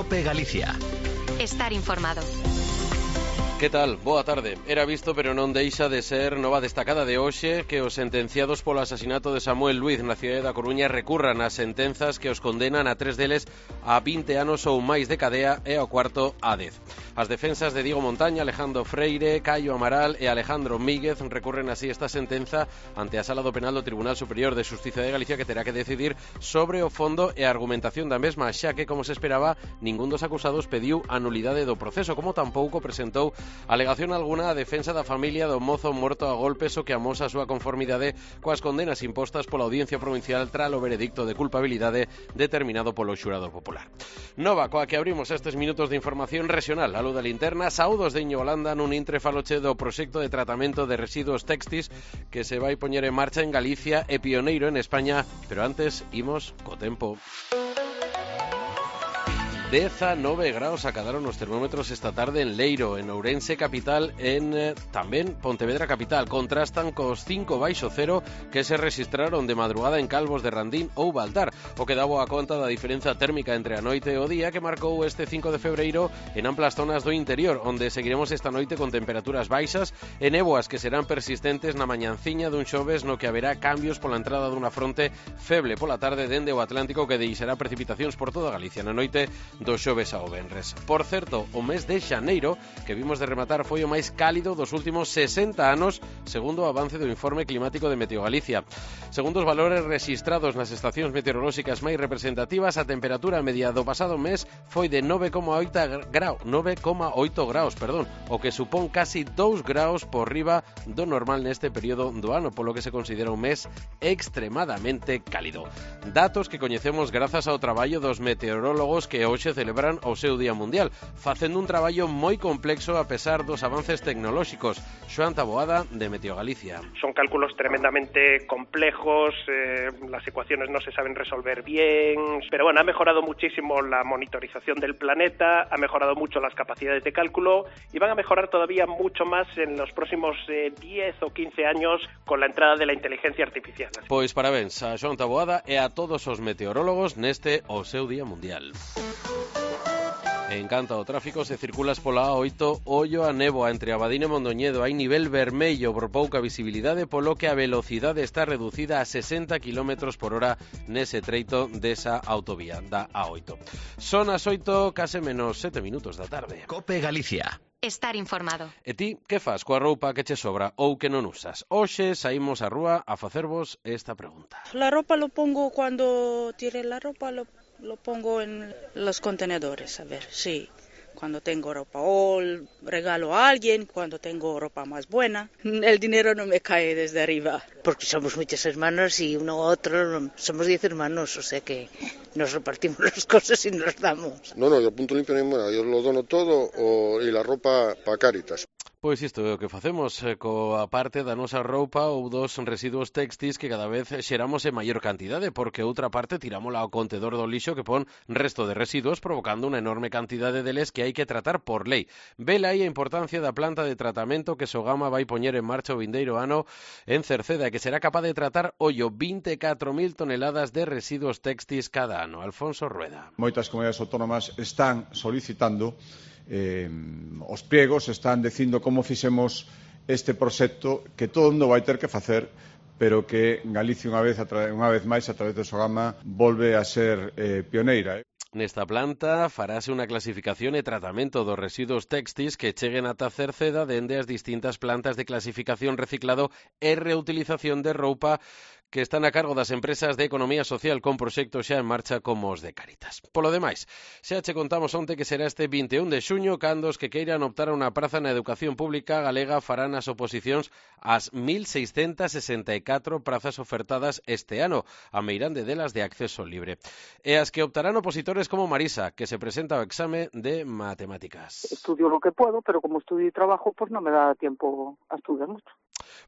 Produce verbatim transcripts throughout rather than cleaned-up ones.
COPE Galicia. Estar informado. Que tal? Boa tarde. Era visto, pero non deixa de ser nova destacada de hoxe que os sentenciados polo asasinato de Samuel Luiz na cidade da Coruña recurran as sentenzas que os condenan a tres deles a vinte anos ou máis de cadea e ao cuarto a dez. As defensas de Diego Montaña, Alejandro Freire, Caio Amaral e Alejandro Míguez recurren así esta sentenza ante a Sala do Penal do Tribunal Superior de Xustiza de Galicia, que terá que decidir sobre o fondo e a argumentación da mesma, xa que, como se esperaba, ningún dos acusados pediu a nulidade do proceso, como tampouco presentou alegación alguna a defensa da familia do mozo morto a golpes, o que amosa a súa conformidade coas condenas impostas pola Audiencia Provincial tras o veredicto de culpabilidade determinado polo xurado popular. Nova coa que abrimos estes minutos de información regional. A luz da linterna, saúdos de Iñigo Holanda nun intre faloche do proxecto de tratamento de residuos textis que se vai poñer en marcha en Galicia e pioneiro en España, pero antes imos co tempo. dezanove graus acadaron os termómetros esta tarde en Leiro, en Ourense capital, en eh, tamén Pontevedra capital. Contrastan cos cinco baixo cero que se registraron de madrugada en Calvos de Randín ou Baltar, o que daba a conta da diferenza térmica entre a noite e o día que marcou este cinco de febreiro en amplas zonas do interior, onde seguiremos esta noite con temperaturas baixas e néboas que serán persistentes na mañanciña dun xoves no que haberá cambios pola entrada dunha fronte feble pola tarde dende o Atlántico que deixará precipitacións por toda Galicia na noite do xoves ao venres. Por certo, o mes de xaneiro que vimos de rematar foi o máis cálido dos últimos sesenta anos, segundo o avance do informe climático de Meteo Galicia. Segundo os valores rexistrados nas estacións meteorolóxicas máis representativas, a temperatura media do pasado mes foi de nove coma oito graus, nove coma oito graus, perdón, o que supón casi dous graus por riba do normal neste período do ano, polo que se considera un mes extremadamente cálido. Datos que coñecemos grazas ao traballo dos meteorólogos que hoxe celebran o seu Día Mundial, facendo un traballo moi complexo a pesar dos avances tecnolóxicos. Xoan Taboada, de Meteo Galicia. Son cálculos tremendamente complejos, eh, las ecuaciones no se saben resolver bien, pero bueno, ha mejorado muchísimo la monitorización del planeta, ha mejorado mucho las capacidades de cálculo y van a mejorar todavía mucho más en los próximos eh, diez o quince años con la entrada de la inteligencia artificial. Pois parabéns a Xoan Taboada e a todos os meteorólogos neste o seu Día Mundial. En canto ao tráfico, se circulas pola A oito, ollo a néboa entre Abadín e Mondoñedo. Hai nivel vermello por pouca visibilidade, polo que a velocidade está reducida a sesenta kilómetros por hora nese treito desa autovía da A oito. Son as oito, case menos sete minutos da tarde. COPE Galicia. Estar informado. E ti, que fas coa roupa que che sobra ou que non usas? Hoxe saímos á rúa a facervos esta pregunta. La ropa lo pongo cuando tire la ropa, lo Lo pongo en los contenedores, a ver, sí, cuando tengo ropa o regalo a alguien, cuando tengo ropa más buena. El dinero no me cae desde arriba. Porque somos muchos hermanos y uno u otro, somos diez hermanos, o sea que nos repartimos las cosas y nos damos. No, no, yo punto limpio ni moda, yo lo dono todo o, y la ropa para Cáritas. Pois isto é o que facemos eh, coa parte da nosa roupa ou dos residuos textis que cada vez xeramos en maior cantidade, porque outra parte tirámola ao contedor do lixo que pon resto de residuos, provocando unha enorme cantidade deles que hai que tratar por lei. Vela aí a importancia da planta de tratamento que Sogama vai poñer en marcha o vindeiro ano en Cerceda, que será capaz de tratar, ollo, vinte e catro mil toneladas de residuos textis cada ano. Alfonso Rueda. Moitas comunidades autónomas están solicitando Eh, os pliegos, están dicindo como fixemos este proxecto que todo mundo vai ter que facer, pero que Galicia unha vez, unha vez máis a través do Sogama volve a ser eh, pioneira. Eh. Nesta planta farase unha clasificación e tratamento dos residuos textis que cheguen ata Cerceda dende as distintas plantas de clasificación, reciclado e reutilización de roupa que están a cargo das empresas de economía social con proxectos xa en marcha como os de Cáritas. Polo demais, xa che contamos onte que será este vinte e un de xuño cando os que queiran optar a unha praza na educación pública galega farán as oposicións ás mil seiscentas sesenta e catro prazas ofertadas este ano, a meirande delas de acceso libre. E as que optarán opositores como Marisa, que se presenta ao exame de matemáticas. Estudio lo que puedo, pero como estudio y trabajo, pues no me da tiempo a estudiar mucho.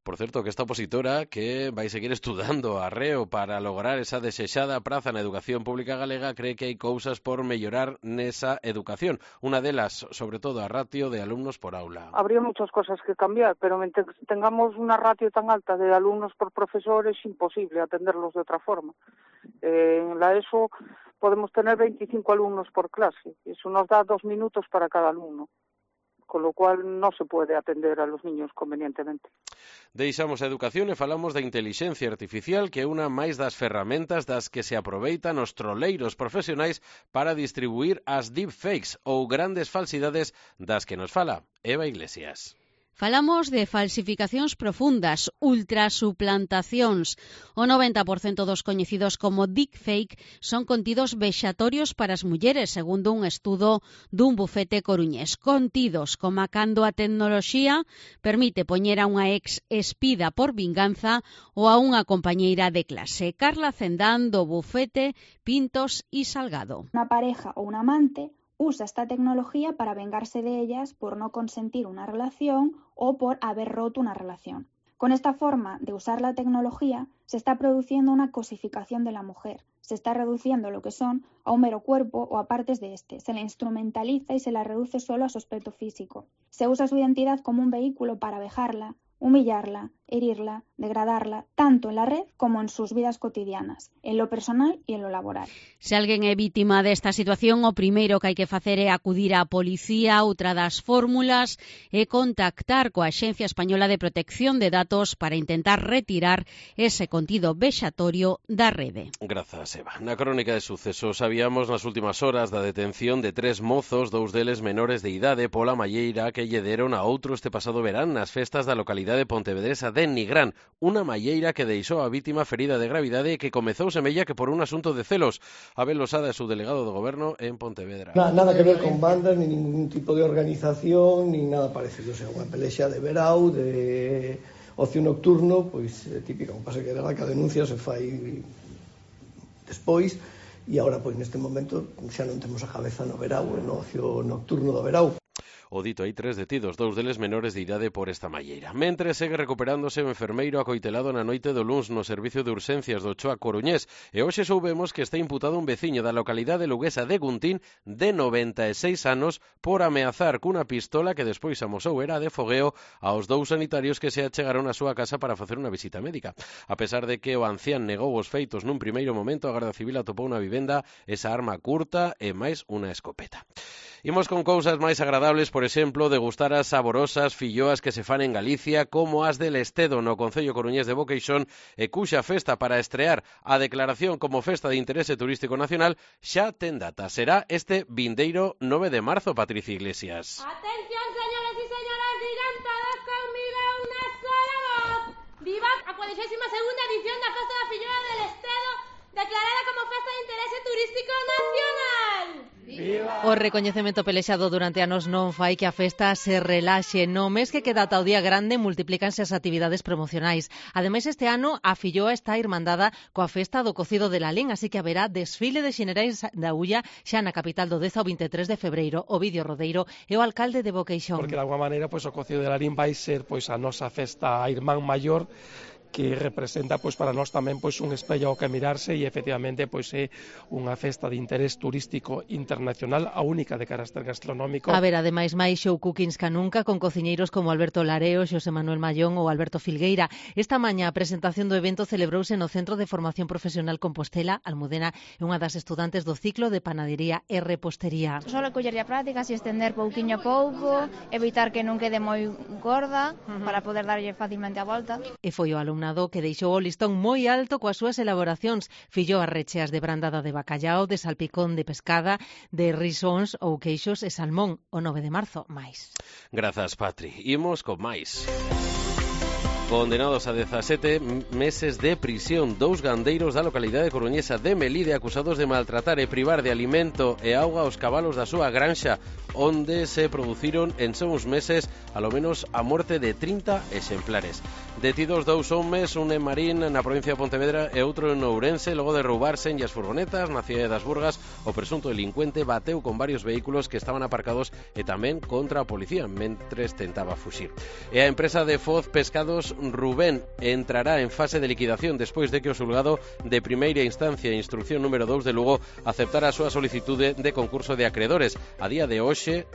Por certo, que esta opositora que vai seguir estudando arreo para lograr esa desexada praza na educación pública galega cree que hai cousas por mellorar nesa educación. Unha delas, sobre todo, a ratio de alumnos por aula. Habría muchas cosas que cambiar, pero mientras tengamos una ratio tan alta de alumnos por profesor es imposible atenderlos de otra forma. Eh, en la ESO podemos tener veinticinco alumnos por clase. Eso nos da dos minutos para cada alumno, con lo cual no se puede atender a los niños convenientemente. Deixamos a educación e falamos da intelixencia artificial, que é unha máis das ferramentas das que se aproveitan os troleiros profesionais para distribuir as deepfakes ou grandes falsidades das que nos fala Eva Iglesias. Falamos de falsificacións profundas, ultrasuplantacións. O noventa por cento dos coñecidos como deepfake son contidos vexatorios para as mulleres, segundo un estudo dun bufete coruñés. Contidos como cando a tecnoloxía permite poñer a unha ex espida por vinganza ou a unha compañeira de clase. Carla Cendán, do bufete Pintos y Salgado. Una pareja o un amante usa esta tecnología para vengarse de ellas por no consentir una relación o por haber roto una relación. Con esta forma de usar la tecnología se está produciendo una cosificación de la mujer. Se está reduciendo lo que son a un mero cuerpo o a partes de este. Se la instrumentaliza y se la reduce solo a su aspecto físico. Se usa su identidad como un vehículo para vejarla, humillarla, herirla, degradarla, tanto en la red como en sus vidas cotidianas, en lo personal y en lo laboral. Se alguén é vítima desta situación, o primeiro que hai que facer é acudir á policía. Outra das fórmulas é contactar coa Axencia Española de Protección de Datos para intentar retirar ese contido vexatorio da rede. Grazas, Eva. Na crónica de sucesos sabíamos nas últimas horas da detención de tres mozos, dous deles menores de idade, pola malleira que lle deron a outro este pasado verán nas festas da localidade pontevedresa de Nigrán, unha malleira que deixou a vítima ferida de gravidade e que comezou semella que por un asunto de celos. Abel Losada é su delegado do goberno en Pontevedra. Na, nada que ver con bandas, ni ningún tipo de organización, ni nada parecido. O sea, unha pelexa de verao, de ocio nocturno, pois é típico. O que pasa que era que a denuncia se fai despois e agora, pois neste momento, xa non temos a cabeza no verao, no ocio nocturno do verao. O dito, hai tres detidos, dous deles menores de idade por esta malleira. Mentre segue recuperándose o enfermeiro acoitelado na noite do luns no servicio de urxencias do Ochoa Coruñés, e hoxe soubemos que está imputado un veciño da localidade luguesa de Guntín de noventa e seis anos por ameazar cunha pistola que despois amosou era de fogueo aos dous sanitarios que se achegaron á súa casa para facer unha visita médica. A pesar de que o ancián negou os feitos nun primeiro momento, a Garda Civil atopou na vivenda esa arma curta e máis unha escopeta. Imos con cousas máis agradables, por exemplo, degustar as saborosas filloas que se fan en Galicia, como as del Estedo no concello coruñés de Boqueixón, e cuxa festa para estrear a declaración como festa de interese turístico nacional xa ten data. Será este vindeiro nove de marzo, Patricia Iglesias. Atención, señores y señoras, digan todos conmigo una sola voz. Viva a cuadragésima segunda edición da Festa da Filloa del Estedo, declarada como festa de interese turístico nacional. O recoñecemento pelexado durante anos non fai que a festa se relaxe. No mes que queda ata o día grande multiplícanse as actividades promocionais. Ademais, este ano a Filloa está irmandada coa festa do cocido de Lalín, así que haberá desfile de xenerais da Ulla xa na capital do dez ao veintitrés de febreiro. Ovidio Rodeiro é o alcalde de Boqueixón. Porque de alguma maneira pois, o cocido de Lalín vai ser pois, a nosa festa a irmán maior, que representa pois para nós tamén pois un espello ao que mirarse e efectivamente pois é unha festa de interés turístico internacional, a única de carácter gastronómico. A ver, ademais máis show cookings ca nunca con cociñeiros como Alberto Lareo, Xosé Manuel Mallón ou Alberto Filgueira. Esta mañá a presentación do evento celebrouse no Centro de Formación Profesional Compostela. Almudena é unha das estudantes do ciclo de panadería e repostería. Só collerlle a prácticas e estender pouquiño a pouco, evitar que non quede moi gorda, uh-huh, para poder darlle facilmente a volta. E foi o alumnado que deixou o listón moi alto coas súas elaboracións. Filloas recheas de brandada de bacallao, de salpicón de pescada, de risóns ou queixos e salmón. O nove de marzo, máis. Grazas, Patri. Imos con máis. Condenados a dezasete meses de prisión, dous gandeiros da localidade coruñesa de Melide acusados de maltratar e privar de alimento e auga aos cabalos da súa granxa, onde se produciron en só uns meses alo menos a morte de trinta exemplares. Detidos dous homes, un en Marín, na provincia de Pontevedra, e outro en Ourense, logo de roubarse en as furgonetas na cidade das Burgas. O presunto delincuente bateu con varios vehículos que estaban aparcados e tamén contra a policía, mentres tentaba fuxir. E a empresa de Foz Pescados Rubén entrará en fase de liquidación despois de que o xulgado de primeira instancia e instrucción número dous de Lugo aceptara a súa solicitude de concurso de acredores. A día de hoxe,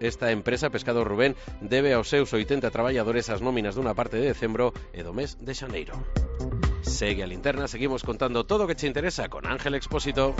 esta empresa, Pescado Rubén, debe aos seus oitenta traballadores as nóminas dunha parte de decembro e do mes de xaneiro. Segue a Linterna, seguimos contando todo o que che interesa con Ángel Expósito.